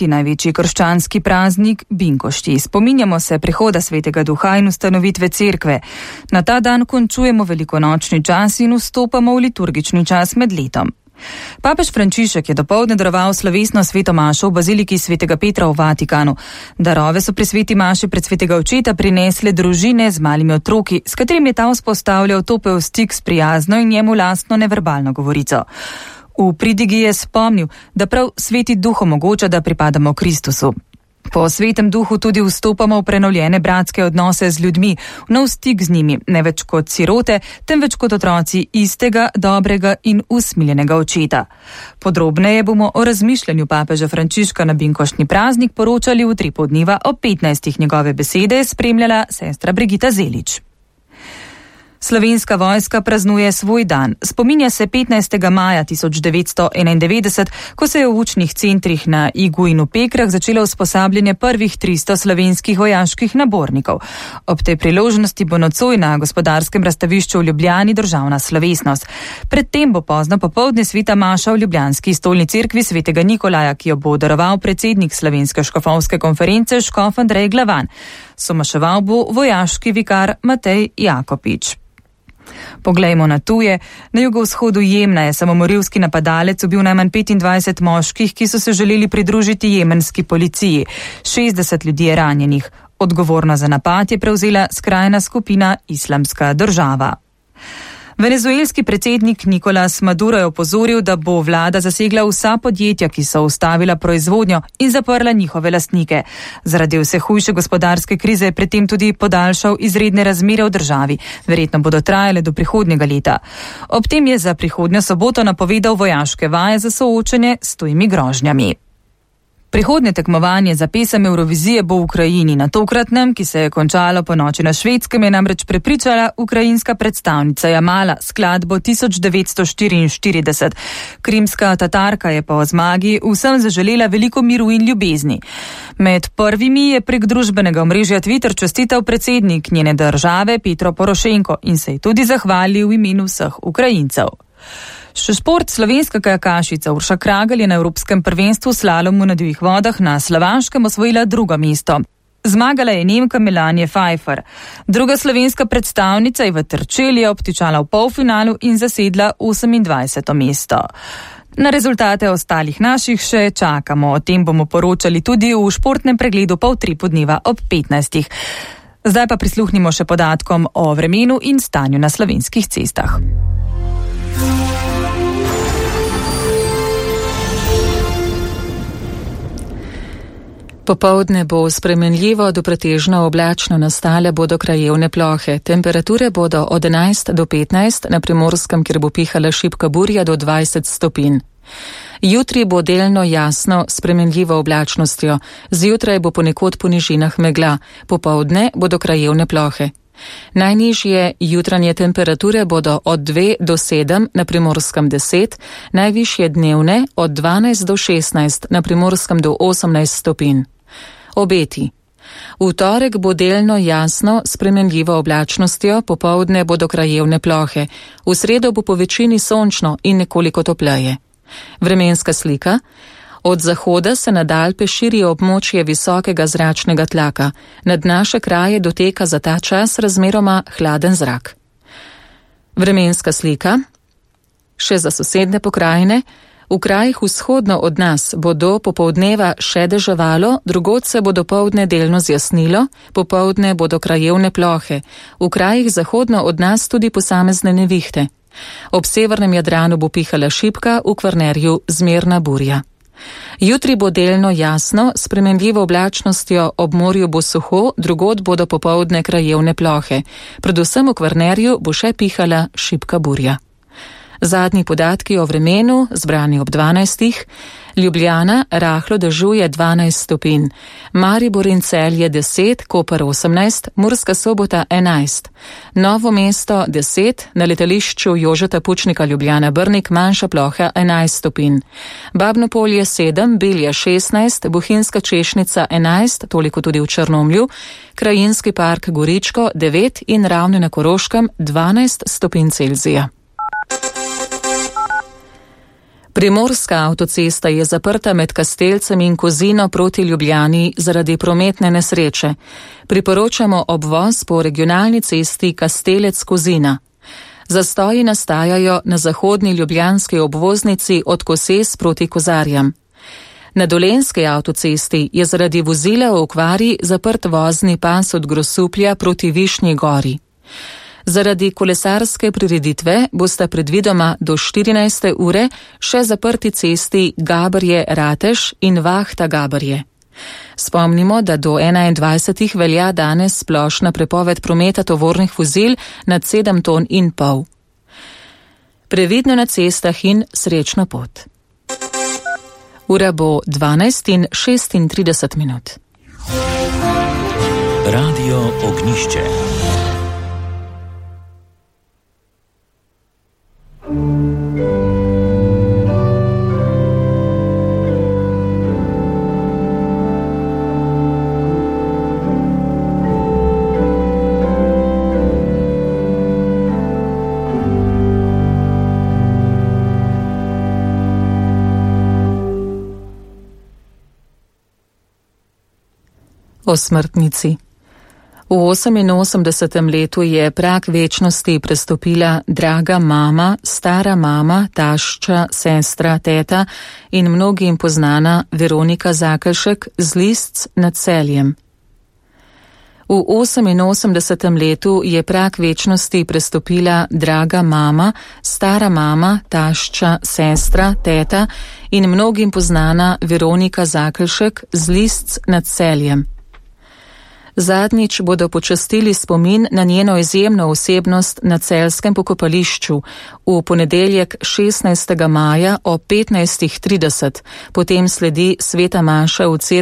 14. največji krščanski praznik Binkošti. Spominjamo se prihoda Svetega Duha in ustanovitve cerkve. Na ta dan končujemo velikonočni čas in vstopamo v liturgični čas med letom. Papež Frančišek je dopoldne daroval slovesno sveto mašo v baziliki Svetega Petra v Vatikanu. Darove so pri sveti maši pred svetega očeta prinesle družine z malimi otroki, s katerimi je ta vzpostavljal topel stik s prijazno in njemu lastno neverbalno govorico. V pridigi je spomnil, da prav sveti duh omogoča, da pripadamo Kristusu. Po svetem duhu tudi vstopamo v prenovljene bratske odnose z ljudmi, v nov stik z njimi, ne več kot sirote, temveč kot otroci istega, dobrega in usmiljenega očeta. Podrobneje bomo o razmišljanju papeža Frančiška na binkoštni praznik poročali v 3 poldneva ob 15. Njegove besede spremljala sestra Brigita Zelič. Slovenska vojska praznuje svoj dan. Spominja se 15. maja 1991, ko se je v učnih centrih na Igu in v Pekrah začelo usposabljanje prvih 300 slovenskih vojaških nabornikov. Ob tej priložnosti bo nocoj na gospodarskem razstavišču v Ljubljani državna slovesnost. Predtem bo pozno popoldne sveta maša v ljubljanski stolni cerkvi svetega Nikolaja, ki jo bo daroval predsednik Slovenske škofovske konference škof Andrej Glavan. Somaševal bo vojaški vikar Matej Jakopič. Poglejmo na tuje. Na jugovzhodu Jemna je samomorilski napadalec ubil najmanj 25 moških, ki so se želeli pridružiti jemenski policiji. 60 ljudi je ranjenih. Odgovornost za napad je prevzela skrajna skupina Islamska država. Venezuelski predsednik Nicolás Maduro je opozoril, da bo vlada zasegla vsa podjetja, ki so ustavila proizvodnjo in zaprla njihove lastnike. Zaradi vse hujše gospodarske krize je predtem tudi podaljšal izredne razmere v državi. Verjetno bodo trajale do prihodnjega leta. Ob tem je za prihodnjo soboto napovedal vojaške vaje za soočenje s tujimi grožnjami. Prihodnje tekmovanje za pesem Eurovizije bo v Ukrajini. Na tokratnem, ki se je končalo po noči na Švedskem, je namreč prepričala ukrajinska predstavnica Jamala skladbo 1944. Krimska Tatarka je po zmagi vsem zaželela veliko miru in ljubezni. Med prvimi je prek družbenega omrežja Twitter čestital predsednik njene države Petro Porošenko in se je tudi zahvalil v imenu vseh Ukrajincev. Še šport. Slovenska kajakašica Urša Kragelj je na Evropskem prvenstvu slalomu na divjih vodah na Slovaškem osvojila 2. mesto. Zmagala je Nemka Melanie Pfeiffer. Druga slovenska predstavnica Eva Terčelj je obtičala v polfinalu in zasedla 28. mesto. Na rezultate ostalih naših še čakamo. O tem bomo poročali tudi v športnem pregledu pol 3 podneva ob 15. Zdaj pa prisluhnimo še podatkom o vremenu in stanju na slovenskih cestah. Popoldne bo spremenljivo do pretežno oblačno, nastale bodo krajevne plohe. Temperature bodo od 11 do 15, na Primorskem, kjer bo pihala šibka burja, do 20 stopinj. Jutri bo delno jasno s spremenljivo oblačnostjo. Zjutraj bo ponekod po nižinah megla, popoldne bodo krajevne plohe. Najnižje jutranje temperature bodo od 2 do 7, na Primorskem 10, najvišje dnevne od 12 do 16, na Primorskem do 18 stopinj. Obeti. V torek bo delno jasno s spremenljivo oblačnostjo, popoldne bodo krajevne plohe. V sredo bo po večini sončno in nekoliko topleje. Vremenska slika. Od zahoda se nad Alpe širi območje visokega zračnega tlaka. Nad naše kraje doteka za ta čas razmeroma hladen zrak. Vremenska slika. Še za sosednje pokrajine. V krajih vzhodno od nas bo do popoldneva še deževalo, drugod se bo dopoldne delno zjasnilo, popoldne bodo krajevne plohe. V krajih zahodno od nas tudi posamezne nevihte. Ob severnem Jadranu bo pihala šibka, v Kvarnerju zmerna burja. Jutri bo delno jasno, s spremenljivo oblačnostjo, ob morju bo suho, drugod bodo popoldne krajevne plohe. Predvsem v Kvarnerju bo še pihala šibka burja. Zadnji podatki o vremenu, zbrani ob 12. Ljubljana rahlo dežuje 12 stopinj, Maribor in Celje 10, Koper 18, Murska Sobota 11, Novo mesto 10, na letališču Jožeta Pučnika Ljubljana Brnik manjša ploha 11 stopinj, Babno Polje 7, Bilje 16, Bohinjska Češnica 11, toliko tudi v Črnomlju, Krajinski park Goričko 9 in Ravne na Koroškem 12 stopinj Celzija. Primorska avtocesta je zaprta med Kastelcem in Kozino proti Ljubljani zaradi prometne nesreče. Priporočamo obvoz po regionalni cesti Kastelec-Kozina. Zastoji nastajajo na zahodni ljubljanski obvoznici od Koses proti Kozarjam. Na Dolenjski avtocesti je zaradi vozila v okvari zaprt vozni pas od Grosuplja proti Višnji Gori. Zaradi kolesarske prireditve bosta predvidoma do 14. ure še zaprti cesti Gabrje-Rateš in Vahta-Gabrje. Spomnimo, da do 21. velja danes splošna prepoved prometa tovornih vozil nad 7,5 ton. Previdno na cestah in srečno pot. Ura bo 12:36. Radio Ognišče. O smrtnici. V 88. letu je prag večnosti prestopila draga mama, stara mama, tašča, sestra, teta in mnogim poznana Veronika Zakelšek z Listc nad Celjem. V 88. letu je prag večnosti prestopila draga mama, stara mama, tašča, sestra, teta in mnogim poznana Veronika Zakelšek z Listc nad Celjem. Zadnjič bodo počastili spomin na njeno izjemno osebnost na celjskem pokopališču v ponedeljek 16. maja o 15:30, potem sledi sveta maša v cerkvi